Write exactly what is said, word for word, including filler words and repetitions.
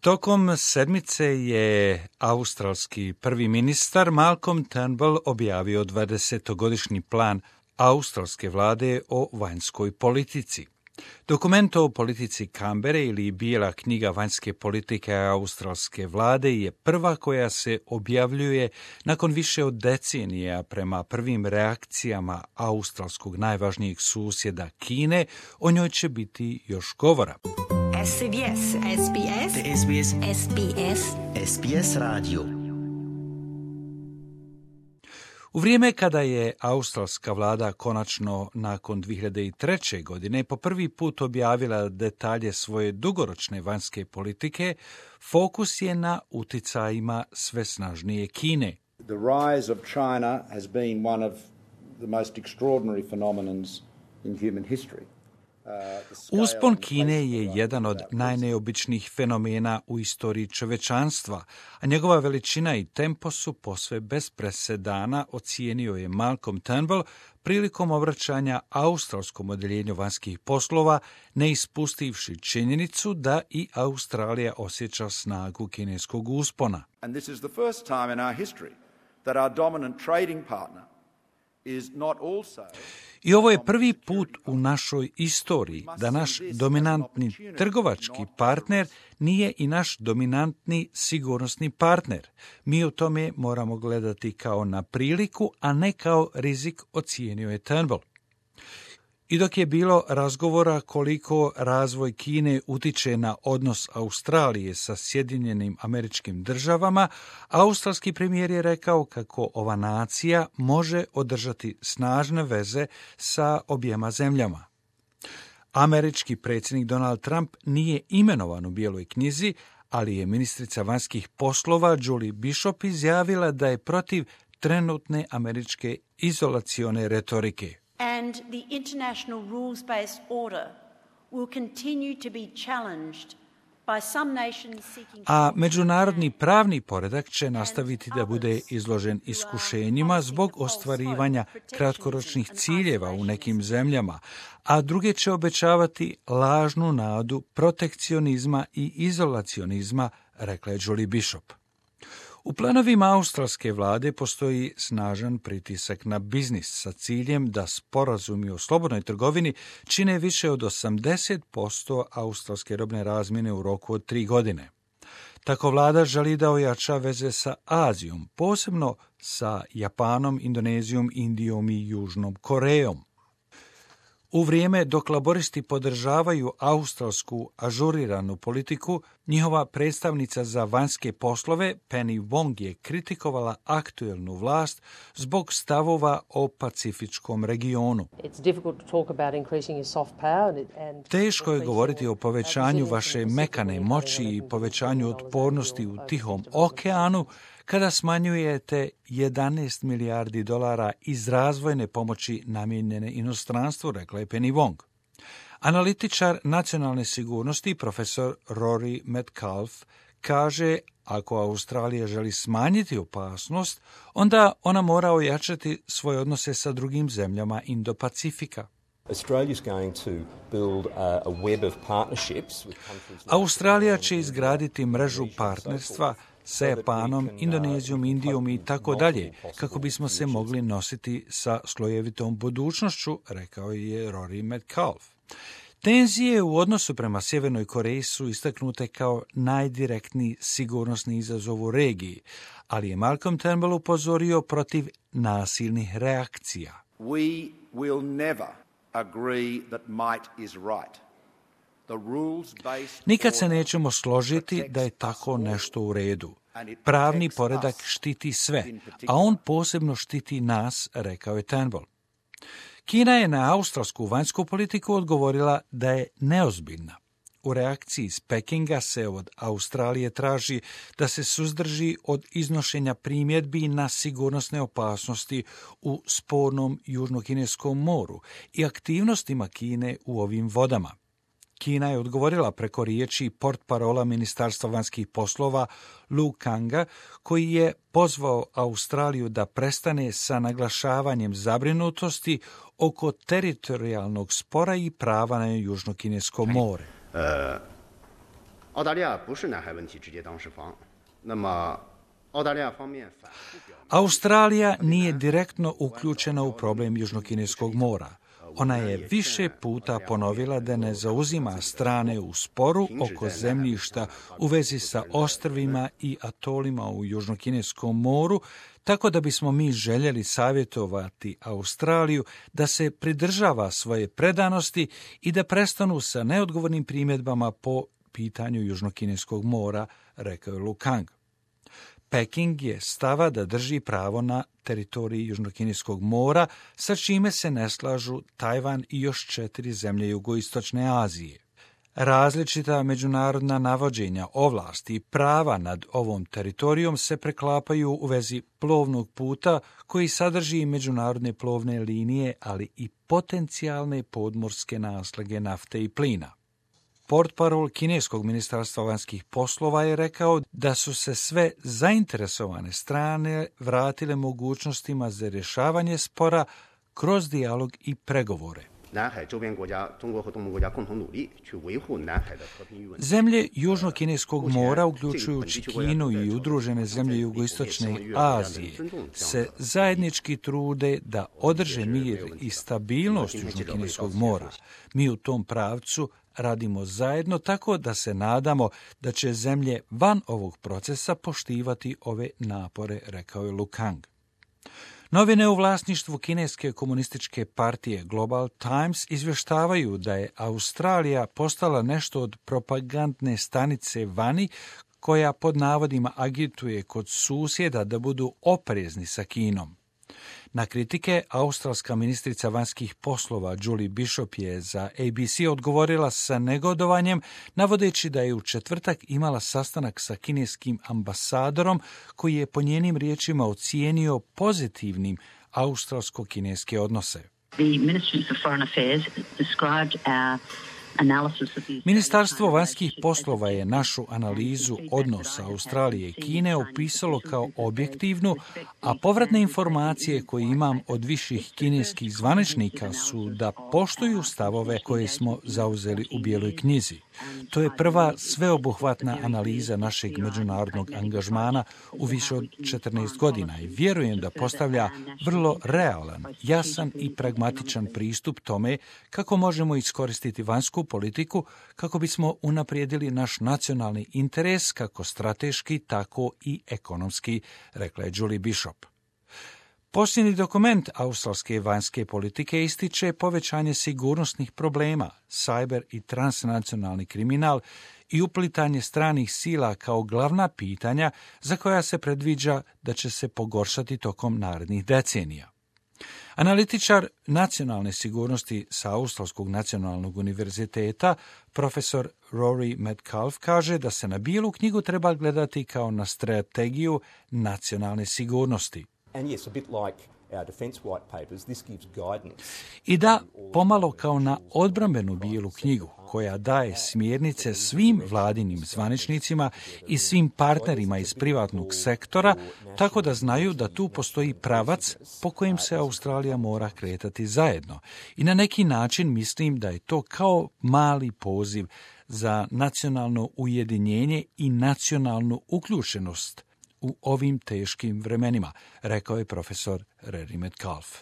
Tokom sedmice je australski prvi ministar Malcolm Turnbull objavio dvadesetogodišnji plan australske vlade o vanjskoj politici. Dokument o politici Kambere ili Bijela knjiga vanjske politike australske vlade je prva koja se objavljuje nakon više od decenija prema prvim reakcijama australskog najvažnijeg susjeda Kine. O njoj će biti još govora. S B S, S B S, S B S, S B S, S B S radio. U vrijeme kada je australska vlada konačno nakon dvije hiljade treće. godine po prvi put objavila detalje svoje dugoročne vanjske politike, fokus je na uticajima sve snažnije Kine. The rise of China has been one of the most extraordinary phenomenons in human history. Uspon Kine je jedan od najneobičnijih fenomena u istoriji čovečanstva, a njegova veličina i tempo su posve bez presedana, ocijenio je Malcolm Turnbull prilikom obraćanja australskom odeljenju vanjskih poslova, ne ispustivši činjenicu da i Australija osjeća snagu kineskog uspona. And this is the first time in our history that our dominant trading partner is not also... I ovo je prvi put u našoj istoriji da naš dominantni trgovački partner nije i naš dominantni sigurnosni partner. Mi u tome moramo gledati kao na priliku, a ne kao rizik, ocijenio je Turnbull. I dok je bilo razgovora koliko razvoj Kine utiče na odnos Australije sa Sjedinjenim Američkim Državama, australski premijer je rekao kako ova nacija može održati snažne veze sa objema zemljama. Američki predsjednik Donald Trump nije imenovan u Bijeloj knjizi, ali je ministrica vanjskih poslova Julie Bishop izjavila da je protiv trenutne američke izolacione retorike. And the international rules-based order will continue to be challenged by some nations seeking... A međunarodni pravni poredak će nastaviti da bude izložen iskušenjima zbog ostvarivanja kratkoročnih ciljeva u nekim zemljama, a druge će obećavati lažnu nadu protekcionizma i izolacionizma, rekla je Julie Bishop. U planovima australske vlade postoji snažan pritisak na biznis sa ciljem da sporazumi o slobodnoj trgovini čine više od osamdeset posto australske robne razmjene u roku od tri godine. Tako vlada želi da ojača veze sa Azijom, posebno sa Japanom, Indonezijom, Indijom i Južnom Korejom. U vrijeme dok laboristi podržavaju australsku ažuriranu politiku, njihova predstavnica za vanjske poslove Penny Wong je kritikovala aktuelnu vlast zbog stavova o pacifičkom regionu. Teško je govoriti o povećanju vaše mekane moći i povećanju otpornosti u Tihom okeanu kada smanjujete jedanaest milijardi dolara iz razvojne pomoći namijenjene inostranstvu, rekla je Penny Wong. Analitičar nacionalne sigurnosti profesor Rory Metcalfe kaže, ako Australija želi smanjiti opasnost, onda ona mora ojačati svoje odnose sa drugim zemljama Indo-Pacifika. Australija će izgraditi mrežu partnerstva sa Japanom, Indonezijom, Indijom i tako dalje, kako bismo se mogli nositi sa slojevitom budućnošću, rekao je Rory Metcalfe. Tenzije u odnosu prema Sjevernoj Koreji su istaknute kao najdirektniji sigurnosni izazov u regiji, ali je Malcolm Turnbull upozorio protiv nasilnih reakcija. We will never agree that might is right. Nikad se nećemo složiti da je tako nešto u redu. Pravni poredak štiti sve, a on posebno štiti nas, rekao je Turnbull. Kina je na australsku vanjsku politiku odgovorila da je neozbiljna. U reakciji iz Pekinga se od Australije traži da se suzdrži od iznošenja primjedbi na sigurnosne opasnosti u spornom Južnokineskom moru i aktivnostima Kine u ovim vodama. Kina je odgovorila preko riječi portparola Ministarstva vanjskih poslova Lu Kanga, koji je pozvao Australiju da prestane sa naglašavanjem zabrinutosti oko teritorijalnog spora i prava na Južno-Kinesko more. Uh, 澳大利亚不是南海问题直接当事方，那么 Australija nije direktno uključena u problem Južnokineskog mora. Ona je više puta ponovila da ne zauzima strane u sporu oko zemljišta u vezi sa ostrvima i atolima u Južnokineskom moru, tako da bismo mi željeli savjetovati Australiju da se pridržava svoje predanosti i da prestanu sa neodgovornim primjedbama po pitanju Južnokineskog mora, rekao je Lu Kang. Peking je stava da drži pravo na teritoriji Južnokineskog mora, sa čime se ne slažu Tajvan i još četiri zemlje jugoistočne Azije. Različita međunarodna navođenja ovlasti i prava nad ovom teritorijom se preklapaju u vezi plovnog puta koji sadrži međunarodne plovne linije, ali i potencijalne podmorske naslage nafte i plina. Portparol kineskog ministarstva vanjskih poslova je rekao da su se sve zainteresovane strane vratile mogućnostima za rješavanje spora kroz dijalog i pregovore. Zemlje Južnokineskog mora, uključujući Kinu i udružene zemlje jugoistočne Azije, se zajednički trude da održe mir i stabilnost Južnokineskog mora. Mi u tom pravcu radimo zajedno, tako da se nadamo da će zemlje van ovog procesa poštivati ove napore, rekao je Lu Kang. Novine u vlasništvu kineske komunističke partije Global Times izvještavaju da je Australija postala nešto od propagandne stanice vani, koja pod navodima agituje kod susjeda da budu oprezni sa Kinom. Na kritike, australska ministrica vanjskih poslova Julie Bishop je za A B C odgovorila sa negodovanjem, navodeći da je u četvrtak imala sastanak sa kineskim ambasadorom, koji je po njenim riječima ocijenio pozitivnim australsko-kineske odnose. The Ministry of Foreign Affairs described our Ministarstvo vanjskih poslova je našu analizu odnosa Australije i Kine opisalo kao objektivnu, a povratne informacije koje imam od viših kineskih zvaničnika su da poštuju stavove koje smo zauzeli u Bijeloj knjizi. To je prva sveobuhvatna analiza našeg međunarodnog angažmana u više od četrnaest godina i vjerujem da postavlja vrlo realan, jasan i pragmatičan pristup tome kako možemo iskoristiti vanjsku politiku kako bismo unaprijedili naš nacionalni interes kako strateški, tako i ekonomski, rekla je Julie Bishop. Posljednji dokument australske vanjske politike ističe povećanje sigurnosnih problema, cyber i transnacionalni kriminal i uplitanje stranih sila kao glavna pitanja za koja se predviđa da će se pogoršati tokom narednih decenija. Analitičar nacionalne sigurnosti sa Australskog nacionalnog univerziteta, profesor Rory Metcalf, kaže da se na Bijelu knjigu treba gledati kao na strategiju nacionalne sigurnosti. And yes, a bit like our defence white papers, this gives guidance. I da, pomalo kao na odbrambenu Bijelu knjigu, koja daje smjernice svim vladinim zvaničnicima i svim partnerima iz privatnog sektora, tako da znaju da tu postoji pravac po kojem se Australija mora kretati zajedno. I na neki način mislim da je to kao mali poziv za nacionalno ujedinjenje i nacionalnu uključenost u ovim teškim vremenima, rekao je profesor Rory Metcalf.